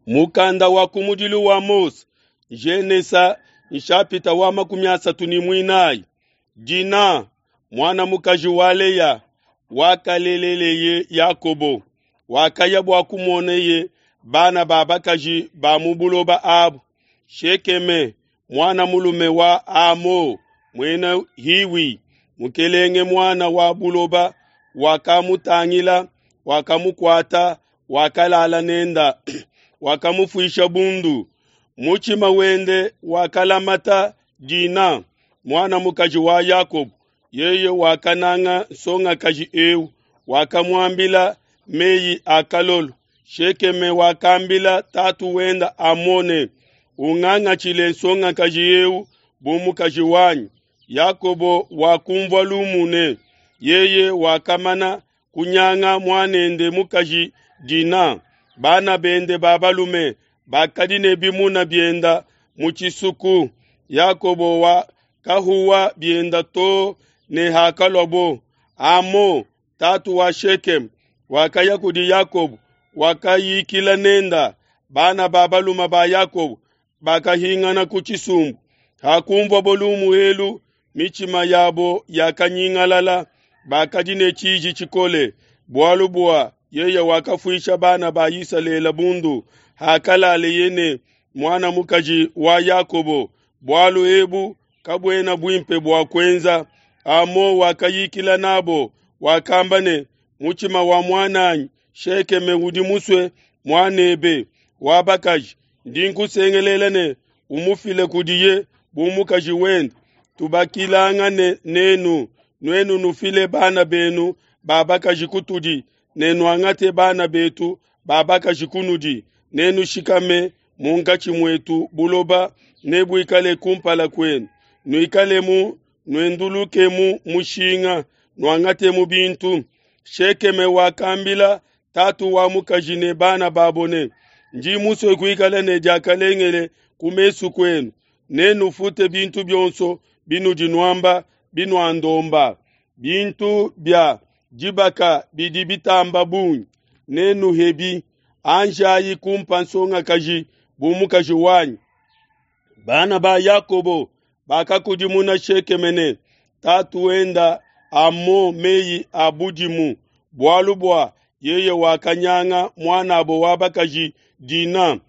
Mukanda wa kumudilu wa Mose, Genesa nshapita wa 34. Dina, muana mukaji wa Leya, wakaleleleye Yakobo, wakaya bua kumoneye bana ba bakaji ba mu buloba abu. Shekeme, muana mulume wa Amo, muena Hiwi, mukelenge muana wa buloba, wakamutangila, wakamukuata, wakalala nenda, wakamufuisha bundu. Mutshima wende wakalamata Dina, muana mukaji wa Yakobo. Yeye wakananga nsongakaji eu, wakamuambila meyi a kalolo. Shekeme wakambila tatu wenda Amone, ungangatshile nsongakaji eu bu mukaji wanyi. Yakobo wakumvua lumu ne yeye wakamana kunyanga muanende mukaji Dina. Bana bende ba balume bakadi ne bimuna bienda mu tshisuku. Yakobo wakahuwa bienda too ne hakaluabo. Amo, tatu wa Shekemu, wakaya kudi Yakobo, wakayikila nenda. Bana ba balume ba Yakobo bakahingana ku tshisumbu. Hakumvuabo lumu elu, mitshima yabo yakanyingalala, bakadi ne tshiji tshikole, bualu bua yeye wakafuisha bana ba Isalele bundu hakalaleye ne muana mukaji wa Yakobo. Bualu ebu kabuena buimpe bua kuenza. Amo wakayikila nabo, wakamba ne, mutshima wa muananyi Shekeme udi musue muanebe wa bakaji, ndi nkusengelela ne umufile kudiye bu mukaji wende. Tubakilangane nenu, nuenu nufile bana benu ba bakaji kutudi, ne nuangate bana betu ba bakaji kunudi, nenushikame munkatshi muetu, buloba nebuikale kumpala kuenu. Nuikalemu, nuendulukemu mushinga, nuangatemu bintu. Shekeme wakambila tatu wa mukaji ne bana babo ne, ndi musue kuikala ne diakalengele ku mesu kuenu, nenufute bintu bionso binudi nuamba binuandomba. Bintu bia dibaka bidi bitamba bungi, nenuhebi. Anjayi kumpa nsongakaji bu mukaji wanyi. Bana ba Yakobo bakakudimuna Shekeme ne tatu wenda Amo meyi a budimu, bualu bua yeye wakanyanga muanabo wa bakaji Dina.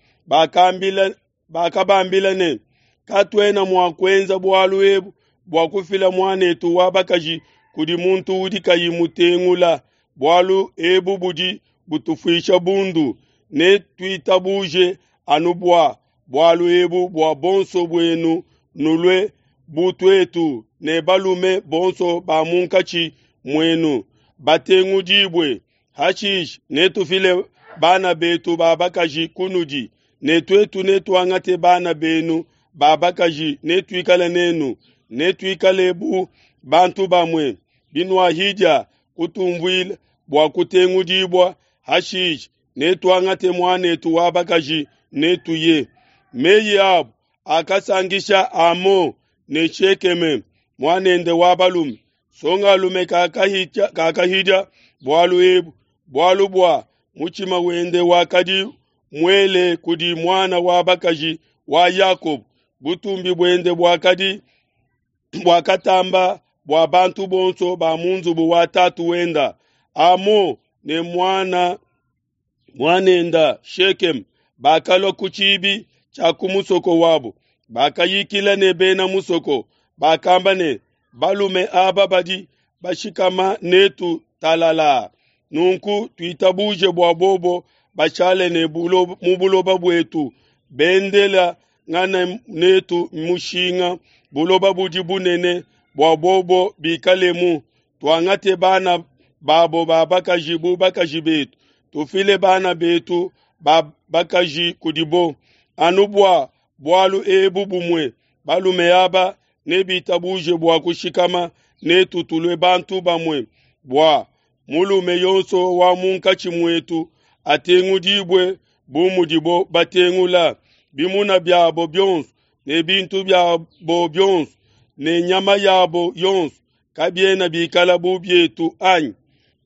Bakabambila ne, katuena mua kuenza bualu ebu bua kufila muanetu wa bakaji kudi muntu udi kayi mutengula. Bualu ebu budi butufuisha bundu. Netuitabuje anu bua bualu ebu bua bonso buenu nulue bu tuetu ne balume bonso ba munkatshi muenu batengudibue. Hashishe netufile bana betu ba bakaji kunudi, ne tuetu netuangate bana benu ba bakaji, netuikale nenu, netuikale bu bantu bamue. Binuahidia kutumvuila bua kutengudibua, hashishe netuangate muanetu wa bakaji, netuye. Meyi abo akasankisha Amo ne Shekeme muanende wa balume. Songalume kakahidia bualu ebu, bualu bua mutshima wende wakadi muele kudi muana wa bakaji wa Yakobo. Butumbi buende buakadi buakatamba bua bantu bonso ba mu nzubu wa tatu wenda. Amo ne muanenda Shekeme bakalua ku tshibi tshia ku musoko wabo, bakayikila ne bena musoko, bakamba ne, balume aba badi bashikama netu talala. Nunku tuitabuje bua bobo bashale ne mu buloba buetu, bendela ngana netu mushinga, buloba budi bunene bua bobo bikalemu. Tuangate bana babo ba bakaji bu bakaji betu, tufile bana betu ba bakaji kudibo. Anu bua bualu ebu bumue, balume aba nebitabuje bua kushikama netu tulue bantu bamue, bua mulume yonso wa munkatshi muetu atengudibue bu mudibo batengula. Bimuna biabo bionso ne bintu biabo bionso ne nyama yabo yonso kabiena bikala bu bietu anyi?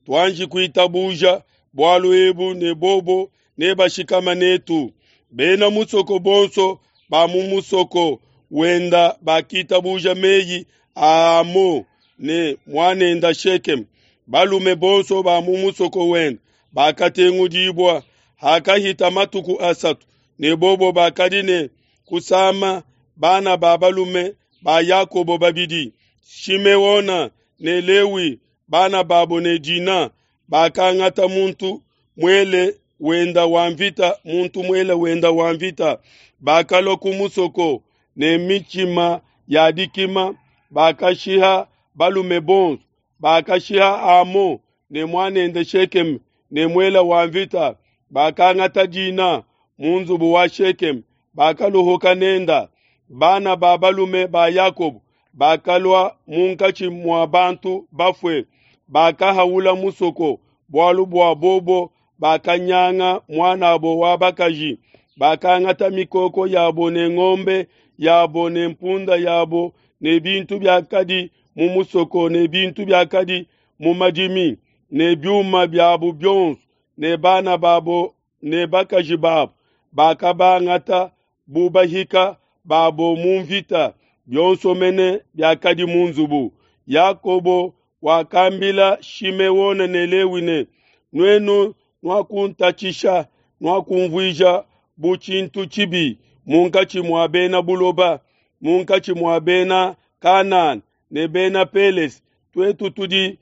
Tuanji kuitabuja bualu ebu ne bobo nebashikama netu. Bena musoko bonso ba mu musoko wenda bakitabuja meyi a Hamo ne muanenda Shekeme. Balume bonso ba mu musoko wenda bakatengudibua. Hakahita matuku asatu ne bobo bakadi ne kusama bana ba balume ba Yakobo babidi, Shimeona ne Lewi, bana babo ne Dina, bakangata muntu muele wenda wa mvita, muntu muele wenda wa mvita, bakalua ku musoko ne mitshima ya dikima, bakashiha balume bonso, bakashiha Hamo ne muanende Shekeme ne muele wa mvita, bakangata Dina mu nzubu wa Shekeme, bakaluhuka nenda. Bana ba balume ba Yakobo bakalua munkatshi mua bantu bafue, bakahaula musoko, bualu bua bobo bakanyanga muanabo wa bakaji, bakangata mikoko yabo ne ngombe yabo ne mpunda yabo ne bintu biakadi mu musoko ne bintu biakadi mu madimi ne biuma biabo bionso ne bana babo ne bakaji babo, bakabangata bu bahika babo mu mvita, bionso mene biakadi mu nzubu. Yakobo wakambila Shimeona ne Lewi ne, Nuenu nuakuntatshisha, nuakunvuija bu tshintu tshibi munkatshi mua bena buloba, munkatshi mua bena Kanana ne bena Pelese. Tuetu tudi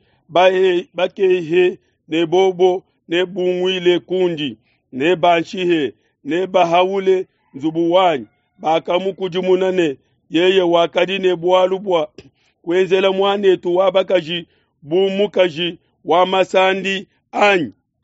bakehe ne bobo nebunguile kundi, nebanshihe, nebahaule nzubu wanyi. Bakamukudimuna ne, yeye wakadi ne bualu bua kuenzela muanetu wa bakaji bu mukaji wa masandi anyi?